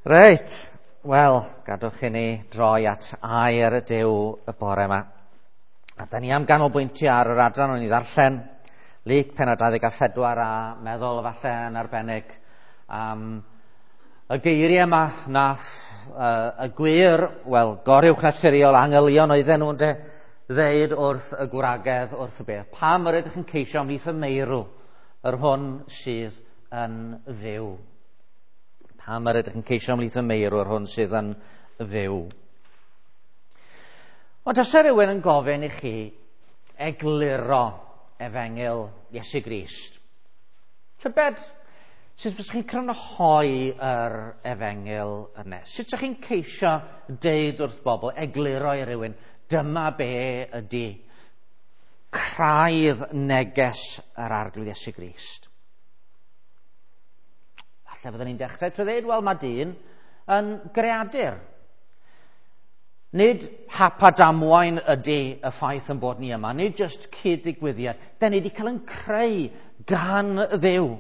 Reit, wel, gadwch i ni droi at air y Duw y bore yma. A da ni am ganolbwyntio ar yr adran o'n i ddarllen, Luc pennod 24, a meddwl falle yn arbennig am y geiriau yma nath y gwir, wel, goruwchnaturiol angylion oedden nhw'n de, ddeud wrth y gwragedd wrth y bedd. Pam yr ydych yn ceisio ymhlith y meirw, yr hwn sydd yn fyw? Pam yr ydych yn ceisio ymhlith y meirw, yr hwn sydd yn fyw? Ond os rhywun yn gofyn i chi egluro efengyl Iesu Grist, tybed sut fysech chi'n crynhoi yr efengyl yna? Sut ydych chi'n ceisio deud wrth bobl, egluro i rywun, dyma be ydy craidd neges yr Arglwydd Iesu Grist? Falle fyddwn ni'n dechrau trwy ddweud, wel, mae dyn yn greadur. Nid hap a damwain ydy y ffaith yn bod ni yma, nid jyst cyd-ddigwyddiad. Da ni wedi cael yn creu gan Dduw.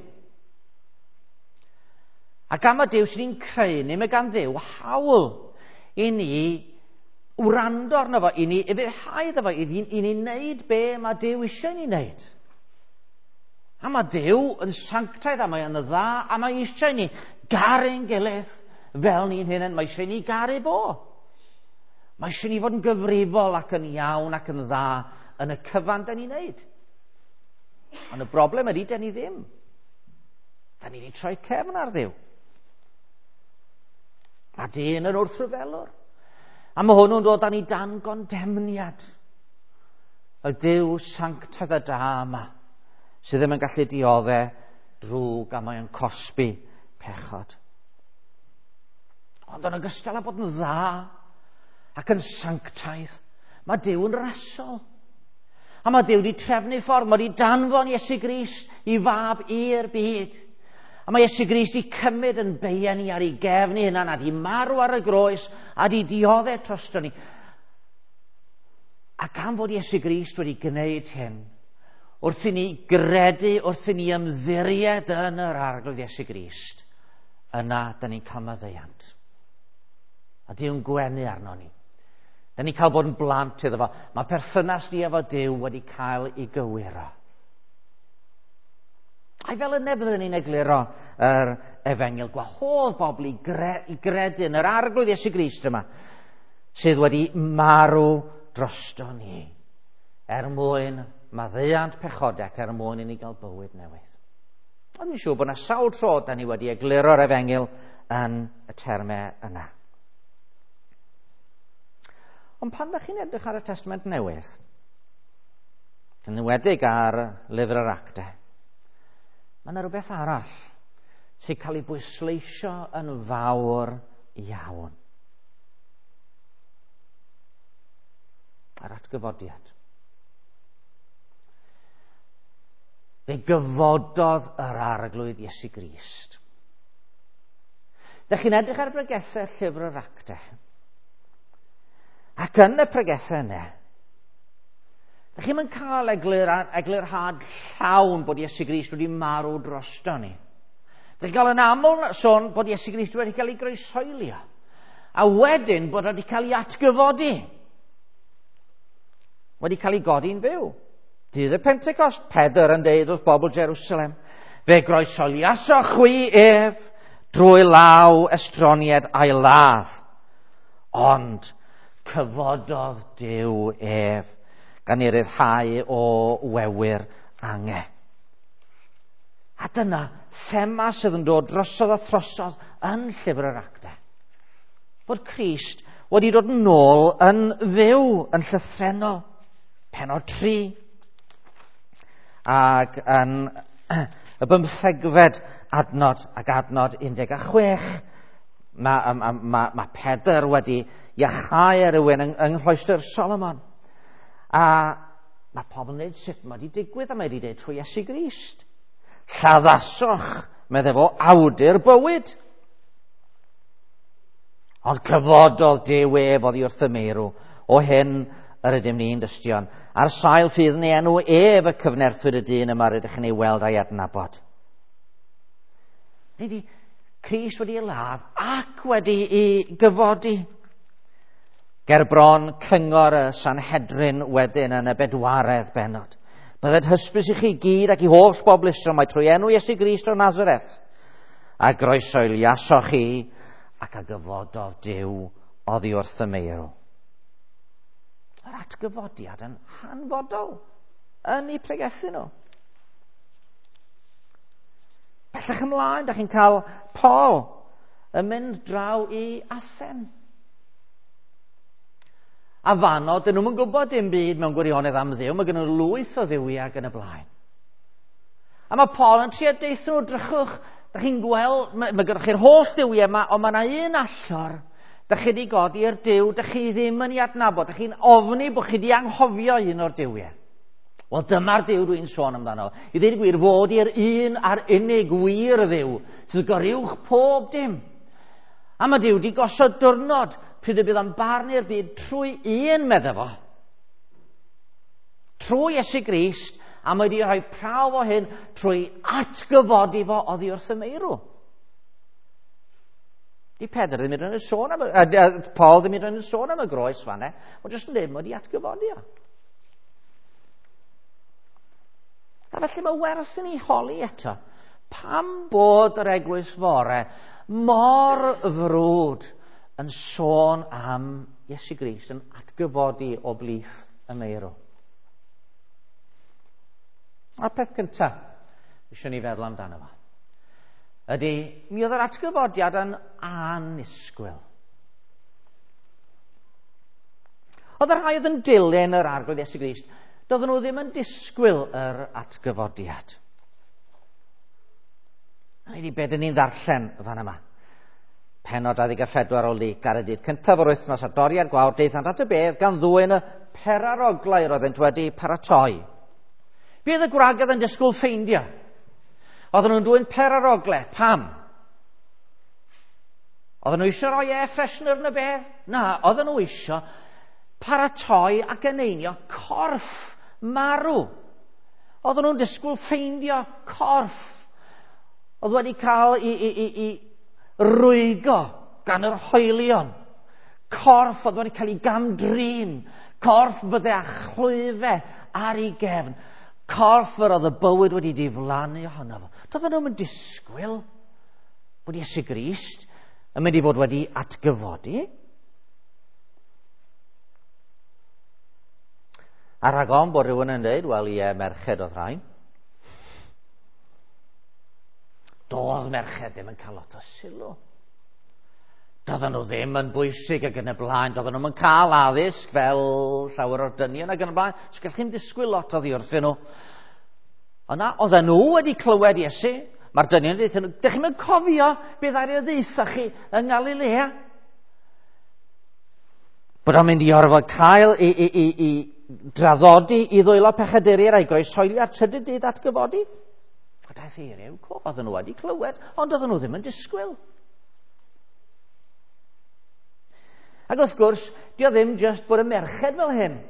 A gan mae Duw sy'n ni'n creu ni, mae gan Dduw hawl i ni wrando arno fo, i ni ufuddhau iddo fo, i ni wneud be mae Duw eisiau ni wneud. A mae Duw yn sanctaidd, a mae yn dda, a mae eisiau ni garu'n gilydd fel ni'n hunain. Mae eisiau ni garu fo. Mae eisiau ni fod yn gyfrifol ac yn iawn ac yn dda yn y cyfan da ni'n neud. Ond y broblem ydy, da ni ddim. Da ni wedi troi cefn ar Dduw. Mae dyn yn wrthryfelwr. A mae hwnnw'n dod â ni dan gondemniad. Y Duw sanctaidd a da yma, sydd ddim yn gallu diodde drwg a mae o'n cosbi pechod. Ond yn ogystal â bod yn dda ac yn sanctaidd, mae Duw yn rasol. A mae Duw wedi trefnu ffordd, mae wedi danfon Iesu Grist i fab i'r byd. A mae Iesu Grist i cymryd yn beien ni ar ei gefn ei hunan, a di marw ar y groes, a di diodde drosto ni. A gan fod Iesu Grist wedi gwneud hyn, wrth i ni gredu, wrth i ni ymddiried yn yr Arglwydd Iesu Grist, yna da ni'n cael maddeuant. A Duw'n gwenu arno ni. Da ni'n cael bod yn blant iddo fo. Mae perthynas ni efo Duw wedi cael ei gywiro. Ai fel yna byddwn ni'n egluro yr efengyl, gwahodd bobl i gredu yn yr Arglwydd Iesu Grist yma, sydd wedi marw drosto ni, er mwyn maddeuant pechodau ac er mwyn i ni gael bywyd newydd. Ond dwi'n siŵr bod yna sawl tro da ni wedi egluro'r efengyl yn y termau yna. Ond pan da chi'n edrych ar y Testament Newydd, yn enwedig ar lyfr yr Actau, mae yna rhywbeth arall sy'n cael ei bwysleisio yn fawr iawn. Yr atgyfodiad. Fe gyfododd yr Arglwydd Iesu Grist. Dych chi'n edrych ar bregethau llyfr yr Actau. Ac yn y pregethau yna, dych chi'n cael eglurhad llawn bod Iesu Grist wedi marw drosto ni. Dych chi'n cael yn aml sôn bod Iesu Grist wedi cael ei groeshoelio. A wedyn bod wedi cael ei atgyfodi. Wedi cael ei godi'n fyw. Dydd y Pentecost, Pedr yn deud wrth bobl Jerusalem, fe groeshoeliasoch chwi ef drwy law estroniad a'i ladd. Ond cyfododd Duw ef gan ei ryddhau o wewyr ange. A dyna thema sydd yn dod drosodd a throsodd yn llyfr yr Actau. Bod Crist wedi dod nôl yn fyw, yn llythrennol. Pennod 3. Ac yn y 15fed adnod ac adnod 16, mae Pedr wedi iachau rhywun yng Nghloestr Solomon. A mae pobl yn dweud sut mae wedi digwydd, a mae wedi dweud trwy Iesu Grist. Lladdasoch, meddai fo, awdur bywyd. Ond cyfododd Duw ef oddi wrth y meirw. O hyn yr ydym ni'n dystion. Ar sail ffydd yn ei enw ef y cyfnerthwyd y dyn yma rydych chi'n ei weld a'i adnabod. Nid i Crist wedi ei ladd ac wedi ei gyfodi. Ger bron cyngor y Sanhedrin wedyn yn y bedwaredd bennod. Bydded hysbys i chi gyd ac i holl bobl Israel mai trwy enw Iesu Grist o Nazareth a groesoeliasoch chi ac a gyfododd Duw oddi wrth y meirw. Yr atgyfodiad yn hanfodol yn eu pregethu nhw. Bellach ymlaen, da chi'n cael Paul yn mynd draw i Athen. A fanno, dyn nhw'n gwybod dim byd mewn gwirionedd am Dduw, mae gen nhw lwyth o dduwiau ac yn y blaen. A mae Paul yn trio deutha nhw, drychwch, da chi'n gweld, mae gyda chi'r holl dduwiau yma, ond mae yna un allor, da chi wedi godi i'r Duw, da chi ddim yn ei adnabod, da chi'n ofni bod chi wedi anghofio un o'r duwiau. Wel, dyma'r Duw dwi'n sôn amdano. I ddweud y gwir, fod i'r un a'r unig wir Dduw, sydd goruwch pob dim. A mae Duw wedi gosod diwrnod pryd y bydd o'n barnu'r byd trwy un, medda fo. Trwy Iesu Grist, a mae wedi rhoi prawf o hyn trwy atgyfodi fo oddi wrth y meirw. Di Pedr ddim yn sôn am, Paul ddim yn sôn am y groes fanne, ond jyst yn dweud mae wedi atgyfodi o. A felly mae werth i ni holi eto. Pam bod yr eglwys fore mor frwd yn sôn am Iesu Grist yn atgyfodi o blith y meirw? A'r peth cyntaf eisiau ni feddwl amdano fo ydy, mi oedd yr atgyfodiad yn annisgwyl. Oedd y rhai oedd yn dilyn yr Arglwydd Iesu Grist, doedden nhw ddim yn disgwyl yr atgyfodiad. A ni be dyn ni'n ddarllen fan yma. Pennod 24 o Luc ar y dydd cyntaf o'r wythnos ar doriad gwawr daethant at y bedd gan ddwyn y peraroglau roeddent wedi paratoi. Bydd y gwragedd yn disgwyl ffeindio. Oedden nhw'n dwyn peraroglau. Pam? Oedden nhw eisiau rhoi air freshener yn y bedd? Na, oedden nhw eisiau paratoi ac eneinio corff marw. Oedden nhw'n disgwyl ffeindio corff. Oedd wedi cael i rwygo gan yr hoelion. Corff oedd wedi cael ei gamdrin. Corff fydde â chlwyfau ar ei gefn. Corff yr oedd y bywyd wedi diflannu ohono fo. Doedden nhw'n disgwyl bod Iesu Grist yn mynd i fod wedi atgyfodi. A rhag ofn bod rhywun yn dweud, wel ie, merched oedd rhain. Doedd merched ddim yn cael lot o sylw. Doedden nhw ddim yn bwysig ac yn y blaen. Doedden nhw'n cael addysg fel llawer o'r dynion ac yn y blaen. So gallech chi'n disgwyl lot oddi wrthyn nhw. Ond na, oedden nhw wedi clywed Iesu. Mae'r dynion yn dweud, dych chi'n cofio beth ar ei ddeutha chi yng Ngalilea? Bod o'n mynd i orfod cael i draddodi i ddwylo pechaduriaid a'i groeshoelio a'r trydydd dydd atgyfodi. A daeth eiriau cof, oedden nhw wedi clywed, ond oedden nhw ddim yn disgwyl. Ac wrth gwrs, di o ddim jyst bod y merched fel hyn.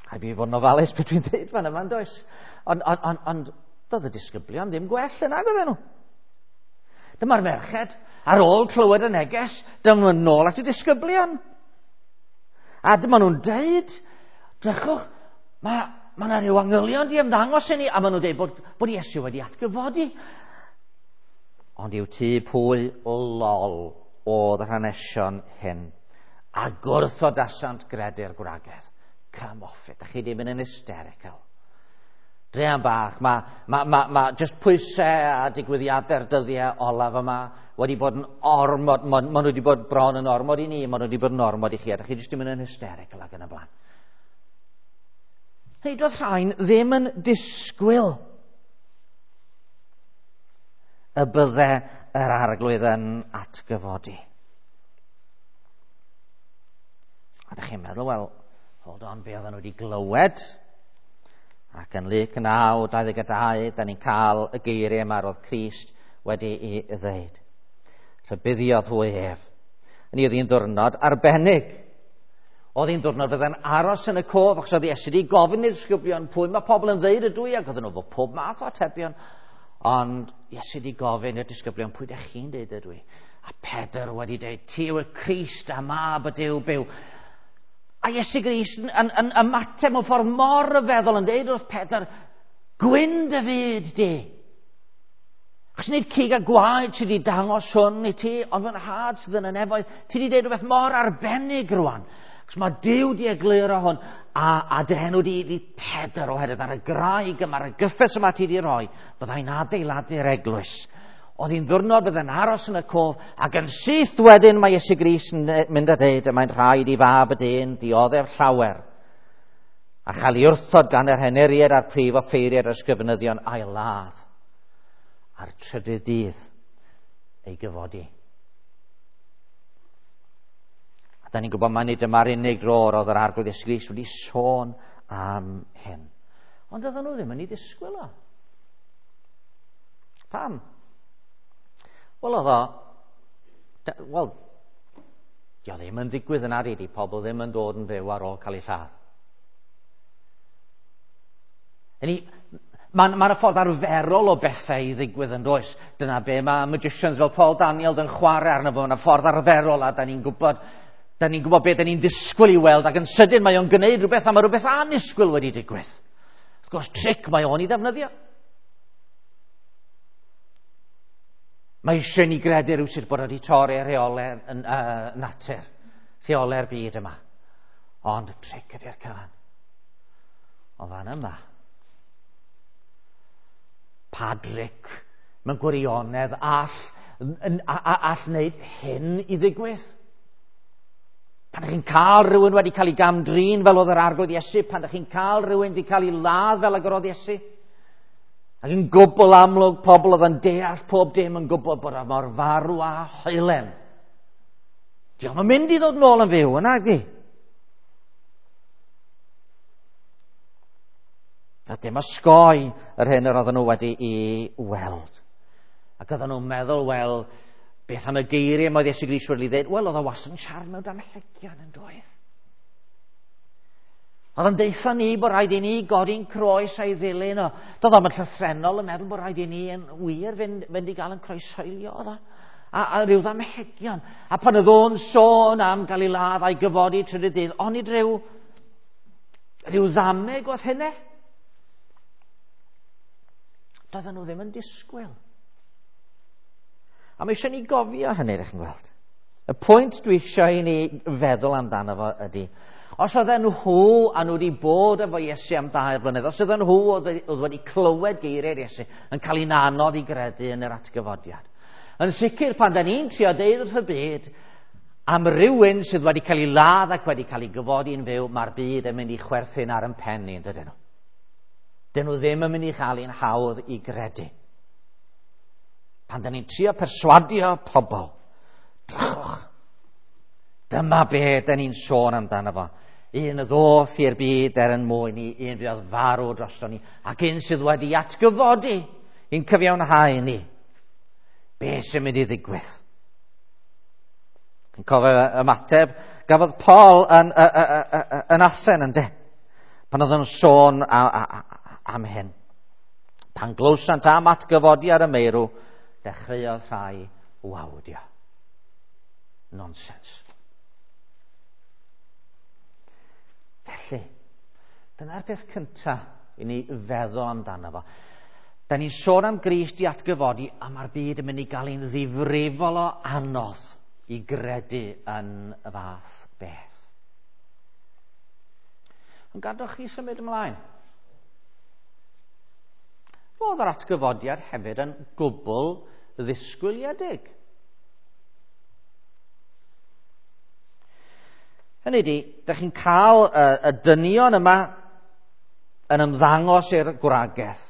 Rhaid fi fod yn ofalus beth dwi'n dweud fan yma, does? Ond doedd y disgyblion ddim gwell yna, oedden nhw. Dyma'r merched, ar ôl clywed y neges, dyma nhw'n nôl at y disgyblion. A dyma nhw'n deud, drychwch, mae yna rhyw angylion di ymddangos i ni, a maen nhw'n deud bod Iesu wedi atgyfodi. Ond i'w tŷ pwy lol oedd yr hanesion hyn, a gwrthodasant gredu'r gwragedd. Come off it, da chi ddim yn hysterical. Druan bach, mae just pwysau a digwyddiadau'r dyddiau olaf yma wedi bod yn ormod, ma nhw wedi bod bron yn ormod i ni, ma nhw wedi bod yn ormod i chi, a da chi jyst ddim yn hysterical ac yn y blaen. Hynny, doedd rhain ddim yn disgwyl y bydde yr Arglwydd yn atgyfodi. A da chi'n meddwl, wel, hold on, be oedden nhw wedi glywed? Ac yn Luc 9:22, da ni'n cael y geiriau yma roedd Crist wedi ei ddeud. Rhybuddiodd hwy ef. Yn oedd hi'n ddiwrnod arbennig. Oedd hi'n ddiwrnod fydde'n aros yn y cof, achos oedd Iesu wedi gofyn i'r disgyblion pwy mae pobl yn ddeud ydw i, ac oedden nhw fo pob math o atebion. Ond Iesu wedi gofyn i'r disgyblion, pwy ydych chi'n deud ydw i? A Pedr wedi deud, ti yw y Crist a mab y Duw byw. A Iesu Grist yn ymateb mewn ffordd mor ryfeddol yn deud wrth Pedr, gwyn dy fyd di. Achos nid cig a gwaed sydd wedi dangos hwn i ti, ond fy nhad sydd yn y nefoedd. Ti wedi deud rhywbeth mor arbennig rwan. Achos mae Duw di egluro hwn, a dy enw di di Pedr oherwydd ar y graig yma, ar y gyffes yma ti di roi, byddai'n adeiladu'r eglwys. Oedd hi'n ddwrnod byddai'n aros yn y cof, ac yn syth wedyn mae Iesu Grist yn mynd a deud y mae'n rhaid i fab y dyn dioddef llawer, a chael ei wrthod gan yr henuriaid a'r prif offeiriaid a'r ysgrifenyddion a'i ladd a'r trydydd dydd ei gyfodi. A da ni'n gwybod mai nid dyma'r unig dro oedd yr Arglwydd Iesu Grist wedi sôn am hyn. Ond oedden nhw ddim yn ei ddisgwyl o. Pam? Wel, oedd o... Wel, dio ddim yn ddigwydd yna, di pobl ddim yn dod yn fyw ar ôl cael eu lladd. Mae'n ma ffordd arferol o bethau i ddigwydd yn does. Dyna be mae magicians fel Paul Daniel yn chwarae arno fo. Mae'n ffordd arferol a da ni'n gwybod, da ni'n gwybod beth da ni'n ddisgwyl i weld ac yn sydyn mae o'n gwneud rhywbeth a mae rhywbeth annisgwyl wedi digwydd. Wrth gwrs, tric mae o'n i ddefnyddio. Mae eisiau ni gredu rhywsut bod wedi torri rheolau natur, rheolau'r byd yma. Ond tric ydy'r cyfan. Ond fan yma, pa dric mewn gwirionedd all wneud hyn i ddigwydd? Pan ydych chi'n cael rhywun wedi cael ei gamdrin fel oedd yr Arglwydd Iesu, pan ydych chi'n cael rhywun wedi cael ei ladd fel ag yr oedd Iesu, ac yn gwbl amlwg pobl oedd yn deall pob dim yn gwybod bod o mor farw a hoelen. Diolch yn mynd i ddod nôl yn fyw, yna gi. A dim osgoi yr hyn yr oedden nhw wedi i weld. Ac oedden nhw'n meddwl, wel, beth am y geiriau mae Iesu Grist wedi dweud? Wel, oedd o wastad yn siarad mewn damhegion yn doedd. Oedd o'n deutha ni bod rhaid i ni godi'n croes a'i ddilyn o. Doedd o'm yn llythrennol yn meddwl bod rhaid i ni yn wir fynd i gael yn croeshoelio oedd o. A rhyw ddamhegion. A pan oedd o'n sôn am gael ei ladd a'i gyfodi trydydd dydd, onid rhyw ddameg oedd hynny? Doedden nhw ddim yn disgwyl. A mae eisiau ni gofio hynny, ydych chi'n gweld. Y pwynt dwi eisiau i ni feddwl amdano fo ydy, os oedden nhw a nhw wedi bod efo Iesu am 2 blynedd, os oedden nhw oedd wedi clywed geiriau'r Iesu yn cael ein anodd i gredu yn yr atgyfodiad. Yn sicr, pan da ni'n trio deud wrth y byd am rywun sydd wedi cael ei ladd ac wedi cael ei gyfodi yn fyw, mae'r byd yn mynd i chwerthin ar yn pen ni, yn dydyn nhw. Dyn nhw ddim yn mynd i chael ein hawdd i gredu. Pan da ni'n trio perswadio pobl, drychwch, dyma be da ni'n sôn amdano fo. Un ddoth i'r byd er yn mwyn ni, un fuodd farw drosto ni, ac un sydd wedi atgyfodi i'n cyfiawnhau ni. Be sy'n mynd i ddigwydd? Yn cofio ymateb gafodd Paul yn Athen, ynde? Pan oedd yn sôn am hyn. Pan glywsant am atgyfodi ar y meirw, dechreuodd rhai wawdio. Nonsens. Felly, dyna'r peth cyntaf i ni feddwl amdano fo. Da ni'n sôn am Grist i atgyfodi, a mae'r byd yn mynd i gael ein ddifrifol o anodd i gredu yn y fath beth. Ond gadwch chi symud ymlaen. Roedd yr atgyfodiad hefyd yn gwbl ddisgwyliedig. Hynny ydi, dych chi'n cael y dynion yma yn ymddangos i'r gwragedd,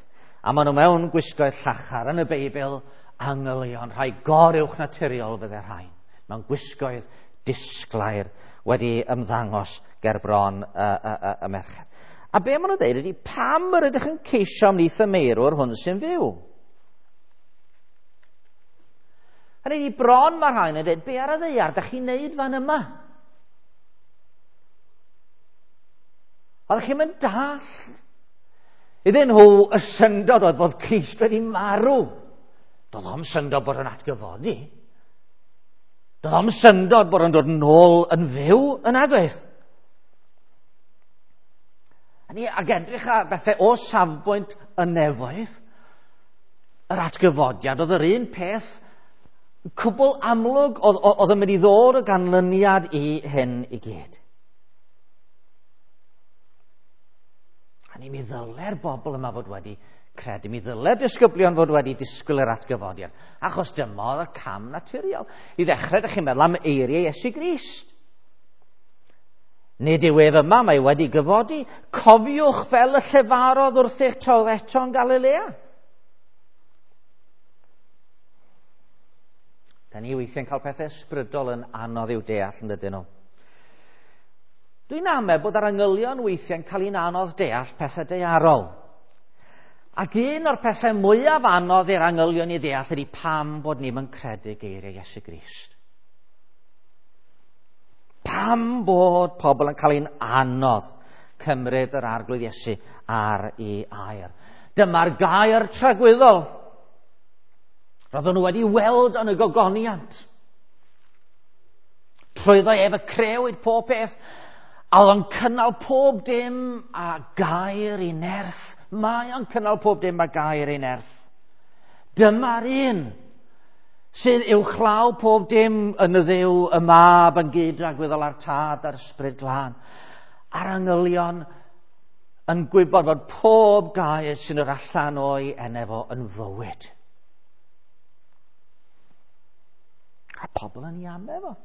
a maen nhw mewn gwisgoedd llachar. Yn y Beibl, angylion, rhai goruwch naturiol fydde rhain, mewn gwisgoedd disglair wedi ymddangos ger bron y merched. A be maen nhw'n dweud ydy, pam yr ydych yn ceisio ymhlith y meirwr hwn sy'n fyw? Hynny ydi, bron mae rhain yn dweud, be ar y ddaear dych chi'n neud fan yma? Oeddech chi'n mynd dallt? Iddyn nhw, y syndod oedd bod Crist wedi marw. Doedd o'm syndod bod yn atgyfodi. Doedd o'm syndod bod yn dod yn ôl yn fyw yn agwedd. A ni, ag edrych ar bethau o safbwynt y nefoedd, yr atgyfodiad oedd yr un peth cwbl amlwg oedd yn mynd i ddod o ganlyniad i hyn i gyd. A ni mi ddyle'r bobl yma fod wedi credu, mi ddyle'r disgyblion fod wedi disgwyl yr atgyfodiad, achos dyma oedd y cam naturiol. I ddechrau, ydych chi'n meddwl am eiriau Iesu Grist. Nid yw ef yma, mae wedi gyfodi. Cofiwch fel y llefarodd wrthych tra oedd eto yn Galilea. Da ni weithiau'n cael pethau ysbrydol yn anodd i'w deall, yn dydyn nhw. Dwi'n amau bod yr angylion weithiau'n cael un anodd deall pethau daearol. Ac un o'r pethau mwyaf anodd i'r angylion i ddeall ydy pam bod ni'm yn credu geiriau Iesu Grist. Pam bod pobl yn cael un anodd cymryd yr Arglwydd Iesu ar ei air. Dyma'r gair tragwyddol. Roedden nhw wedi weld yn y gogoniant. Trwyddo ef y crewyd pob peth, a oedd o'n cynnal pob dim a gair ei nerth. Mae o'n cynnal pob dim a gair ei nerth. Dyma'r un sydd uwchlaw pob dim yn y Dduw, y Mab yn gyd-dragwyddol â'r Tad a'r Ysbryd Glân. A'r angylion yn gwybod fod pob gair sy'n yr allan o'i enw fo yn fywyd. A pobl yn ei amau fo.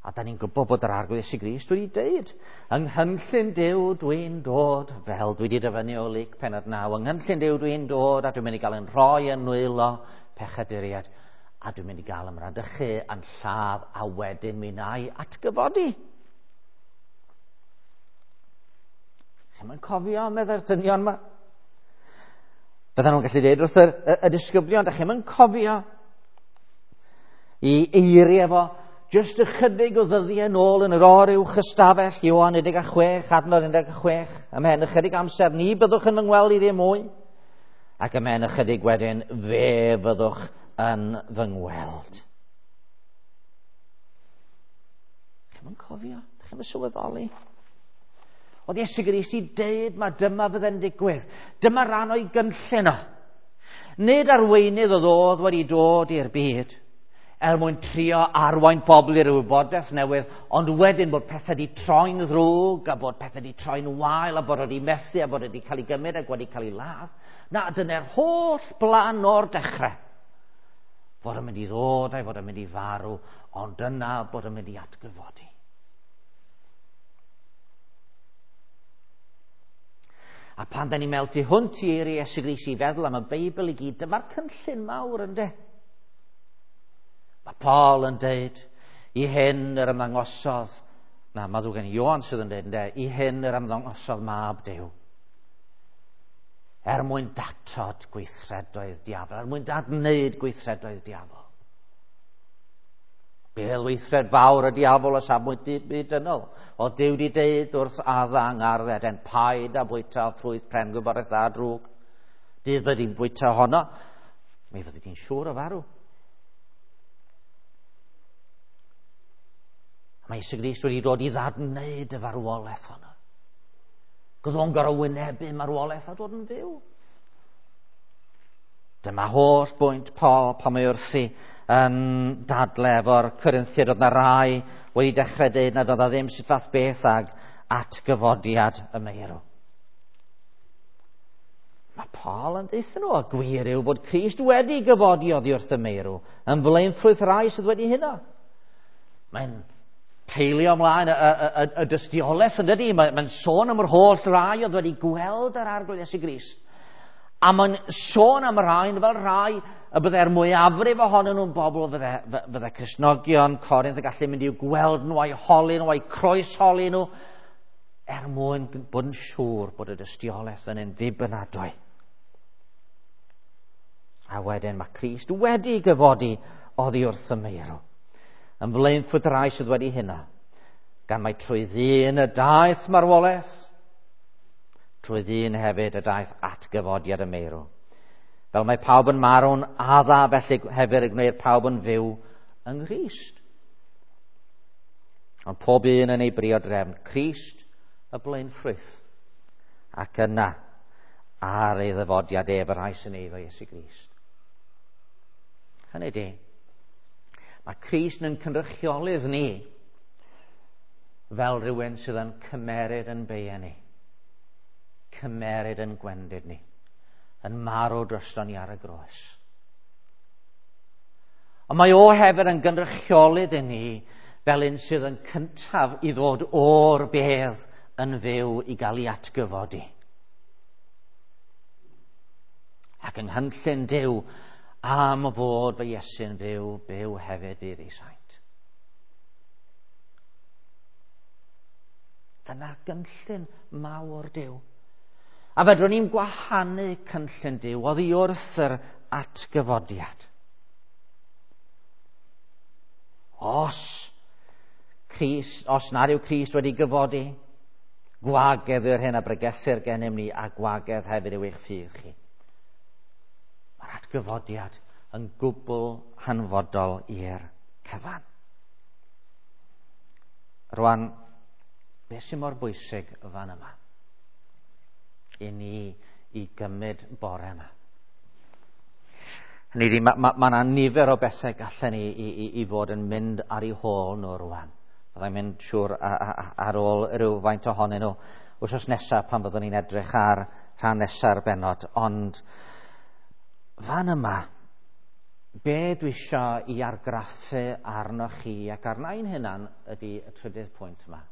A da ni'n gwybod bod yr Arglwydd Iesu Grist wedi deud, yng nghynllun Duw dwi'n dod, fel dwi wedi dyfynnu o Luc pennod 9, yng nghynllun Duw dwi'n dod a dwi'n mynd i gael yn rhoi yn nwylo pechaduriaid, a dwi'n mynd i gael ymradychu yn lladd a wedyn mi wna i atgyfodi. Chi'm yn cofio, meddai'r dynion yma? Byddan nhw'n gallu dweud wrth y disgyblion, da chi'm yn cofio i eiriau fo, jyst ychydig o ddyddiau nôl yn yr oruwch ystafell, Ioan 16, adnod 16, ymhen ychydig amser, ni byddwch yn fy ngweld i ddim mwy, ac ymhen ychydig wedyn, fe fyddwch yn fy ngweld. Chi'm yn cofio? Chi'm yn sylweddoli? Oedd Iesu Grist i deud ma dyma fydde'n digwydd. Dyma ran o'i gynllun o. Nid arweinydd oedd wedi dod i'r byd er mwyn trio arwain pobl i'r wybodaeth newydd, ond wedyn bod pethau wedi troi'n ddrwg, a bod pethau wedi troi'n wael, a bod wedi methu, a bod wedi cael ei gymryd ac wedi cael ei ladd. Na, dyna'r holl blan o'r dechrau. Fod yn mynd i ddod a'i fod yn mynd i farw, ond dyna bod yn mynd i atgyfodi. A pan da ni'n meddwl tu hwnt i eiriau Iesu Grist i feddwl am y Beibl i gyd, dyma'r cynllun mawr, ynde? Mae Paul yn deud, i hyn yr ymddangosodd, na, mae ddrwg gen i, Ioan sydd yn deud, ynde, i hyn yr ymddangosodd mab Duw. Er mwyn datod gweithredoedd diafol, er mwyn dadwneud gweithredoedd diafol. Beth weithred fawr y diafol o safbwynt byd dynol. O Duw di deud wrth Adda yng ngardd Eden, paid a bwyta o ffrwyth pren gwybodaeth dda drwg. Dydd fyddi di'n bwyta honno, mi fyddi di'n siŵr o farw. Mae Iesu Grist wedi dod i ddadwneud y farwolaeth honno. Gwyd o'n gorfod wynebu marwolaeth a dod yn fyw. Dyma holl bwynt Paul pan mae wrthi yn dadle efo'r Corinthiaid. Oedd na rai wedi dechrau dweud nad oedd na ddim sut fath beth ag atgyfodiad y meirw. Mae Paul yn deutha nhw, a gwir yw bod Crist wedi gyfodi oddi wrth y meirw, yn flaenffrwyth rai sydd wedi huno. Mae'n peilio ymlaen y dystiolaeth, yn dydi? Mae'n sôn am yr holl rai oedd wedi gweld yr Arglwydd Iesu Grist. A mae'n sôn am rhain fel rhai y byddai'r mwyafrif ohonyn nhw'n bobl fydde Cristnogion Corinth yn gallu mynd i'w gweld nhw, a'i holi nhw, a'i croesholi nhw, er mwyn bod yn siŵr bod y dystiolaeth yn un ddibynadwy. A wedyn mae Crist wedi gyfodi oddi wrth y meirw. Yn flaenffrwyth rai sydd wedi hynna. Gan mai trwy ddyn y daeth marwolaeth, trwy ddyn hefyd y daeth atgyfodiad y meirw. Fel mae pawb yn marw'n adda, felly hefyd y gwneir pawb yn fyw yng Nghrist. Ond pob un yn ei briod drefn, Crist y blaenffrwyth, ac yna ar ei ddyfodiad ef y rhai sy'n eiddo Iesu Grist. Hynny di, mae Crist yn cynrychiolydd ni fel rhywun sydd yn cymeryd yn beia ni, cymeryd yn gwendid ni, yn marw drosto ni ar y groes. Ond mae o hefyd yn gynrychiolydd i ni fel un sydd yn cyntaf i ddod o'r bedd yn fyw i gael ei atgyfodi. Ac yng nghynllun Duw am fod fy Iesu'n fyw, byw hefyd fydd ei saint. Dyna gynllun mawr Duw. A fedrwn ni'n gwahanu cynllun Duw oddi wrth yr atgyfodiad. Os Crist, os nad yw Crist wedi gyfodi, gwagedd yw'r hyn a bregethir gennym ni, a gwagedd hefyd yw eich ffydd chi. Mae'r atgyfodiad yn gwbl hanfodol i'r cyfan. Rwan, beth sy'n mor bwysig fan yma? I ni i gymryd bore yma. Hynny ydi, mae ma, ma 'na nifer o bethau gallen ni i, i, i fod yn mynd ar eu hôl nhw rwan. Byddai'n mynd siŵr ar ôl rhywfaint ohonyn nhw wythnos nesaf pan fyddwn ni'n edrych ar rhan nesa'r bennod. Ond fan yma, be dwi eisiau i argraffu arnoch chi ac arna i'n hunan ydy y trydydd pwynt yma.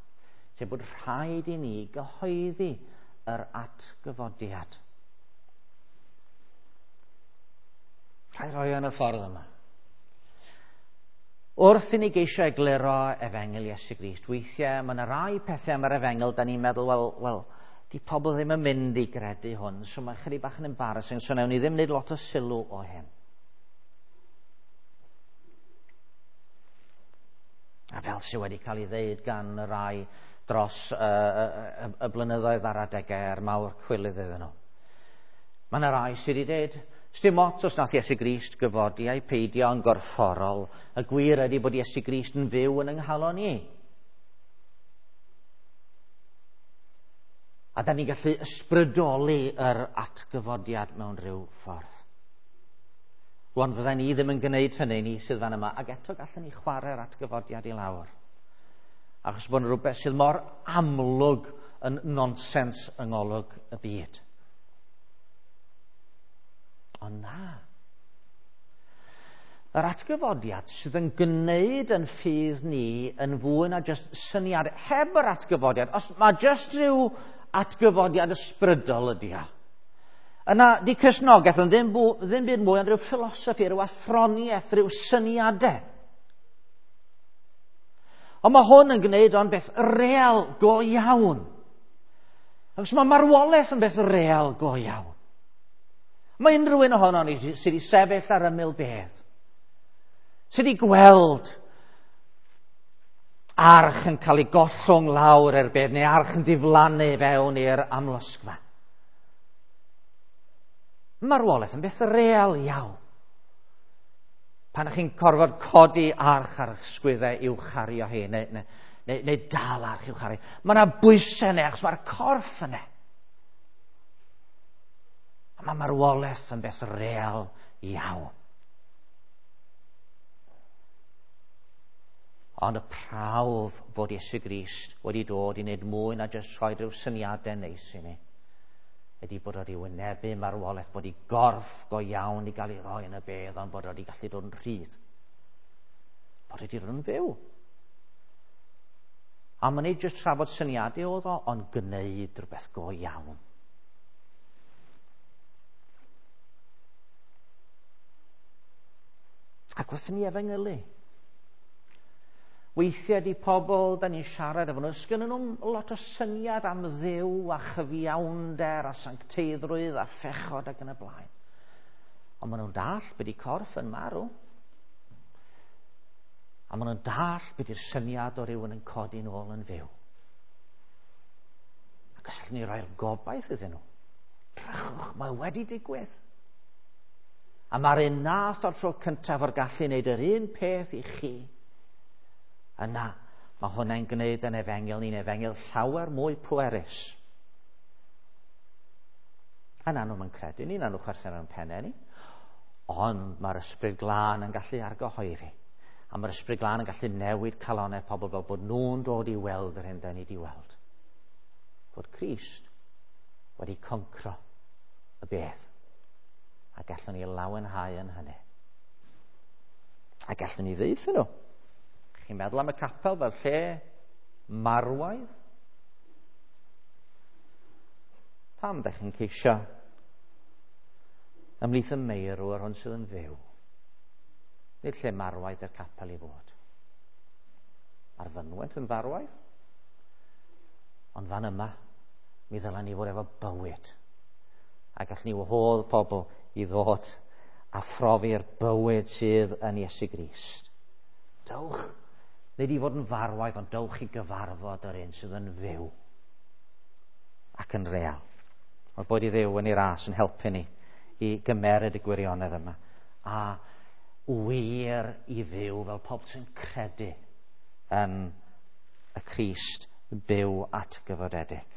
Sef bod rhaid i ni gyhoeddi yr atgyfodiad. Rhaid rhoi yn y ffordd yma. Wrth i ni geisio egluro efengyl Iesu Grist, weithiau mae yna rai pethau am yr efengyl, da ni'n meddwl, wel, wel, di pobl ddim yn mynd i gredu hwn, so mae chydig bach yn embarrassing, so newn ni ddim wneud lot o sylw o hyn. A fel sydd wedi cael ei ddeud gan y rai dros y, y, y, y blynyddoedd ar adegau a'r mawr cwilydd iddyn nhw. Mae yna rai sydd wedi dweud, Sdim ots os nath Iesu Grist gyfodi ai peidio yn gorfforol, y gwir ydy bod Iesu Grist yn fyw yn yng nghalon ni. A da ni'n gallu ysbrydoli yr atgyfodiad mewn rhyw ffordd. Rwan, fydden ni ddim yn gwneud hynny, ni sydd fan yma, ac eto gallwn ni chwarae'r atgyfodiad i lawr. Achos bod yn rhywbeth sydd mor amlwg yn nonsens yng ngolwg y byd. Ond na. Yr atgyfodiad sydd yn gwneud yn ffydd ni yn fwy na jyst syniad heb yr atgyfodiad. Os mae jyst rhyw atgyfodiad ysbrydol ydy o. Yna, di Cristnogaeth yn ddim, ddim byd mwy ond rhyw philosophy, rhyw athroniaeth, rhyw syniadau. Ond mae hwn yn gwneud o'n beth real go iawn. Achos mae marwolaeth yn beth real go iawn. Mae unrhyw un ohono ni sydd wedi sefyll ar ymyl bedd, sydd wedi gweld arch yn cael ei gollwng lawr i'r bedd, neu arch yn diflannu fewn i'r amlosgfa. Marwolaeth yn beth real iawn. Pan ych chi'n corfod codi arch ar eich sgwyddau i'w chario hi, neu, neu, neu, neu dal arch i'w chario, mae yna bwysau yna, achos mae'r corff yna. A mae marwolaeth yn beth real iawn. Ond y prawf bod Iesu Grist wedi dod i wneud mwy na jyst rhoi rhyw syniadau neis i ni, ydy bod wedi wynebu marwolaeth, bod ei gorff go iawn i gael ei roi yn y bedd, ond bod wedi gallu dod yn rhydd. Bod wedi dod yn fyw. A mae'n nid jyst trafod syniadau oedd o, ond gwneud rhywbeth go iawn. Ac wrth ni efengylu, weithiau di pobl da ni'n siarad efo nhw, sgynnon nhw'n lot o syniad am Dduw a chyfiawnder a sancteiddrwydd a phechod ac yn y blaen. Ond maen nhw'n dall be di corff yn marw. A maen nhw'n dall beth yw'r syniad o rywun yn codi nôl yn fyw. Ac os allwn ni roi'r gobaith iddyn nhw, drychwch, mae wedi digwydd. A mae'r un nath o'r tro cyntaf o'r gallu wneud yr un peth i chi. Yna, mae hwnna'n gwneud yn efengyl ni'n efengyl llawer mwy pwerus. A na nhw'n credu ni, na nhw chwerthin ar pennau ni. Ond mae'r Ysbryd Glân yn gallu argyhoeddi. A mae'r Ysbryd Glân yn gallu newid calonau pobl fel bod nhw'n dod i weld yr hyn da ni wedi weld. Bod Crist wedi concro y beth. A gallwn ni lawenhau yn hynny. A gallwn ni ddeud nhw. Chi'n meddwl am y capel fel lle marwaidd? Pam ydych chi'n ceisio ymhlith y meirw yr hwn sydd yn fyw? Nid lle marwaidd i'r capel i fod. Mae'r fynwent yn farwaidd. Ond fan yma, mi ddylen ni fod efo bywyd. A gallwn ni wahodd pobl i ddod a phrofi'r bywyd sydd yn Iesu Grist. Dewch, nid i fod yn farwaidd, ond dewch i gyfarfod yr un sydd yn fyw ac yn real. Oedd bod i Dduw yn ei ras yn helpu ni i gymeryd y gwirionedd yma. A wir i fyw fel pobl sy'n credu yn y Crist byw atgyfodedig.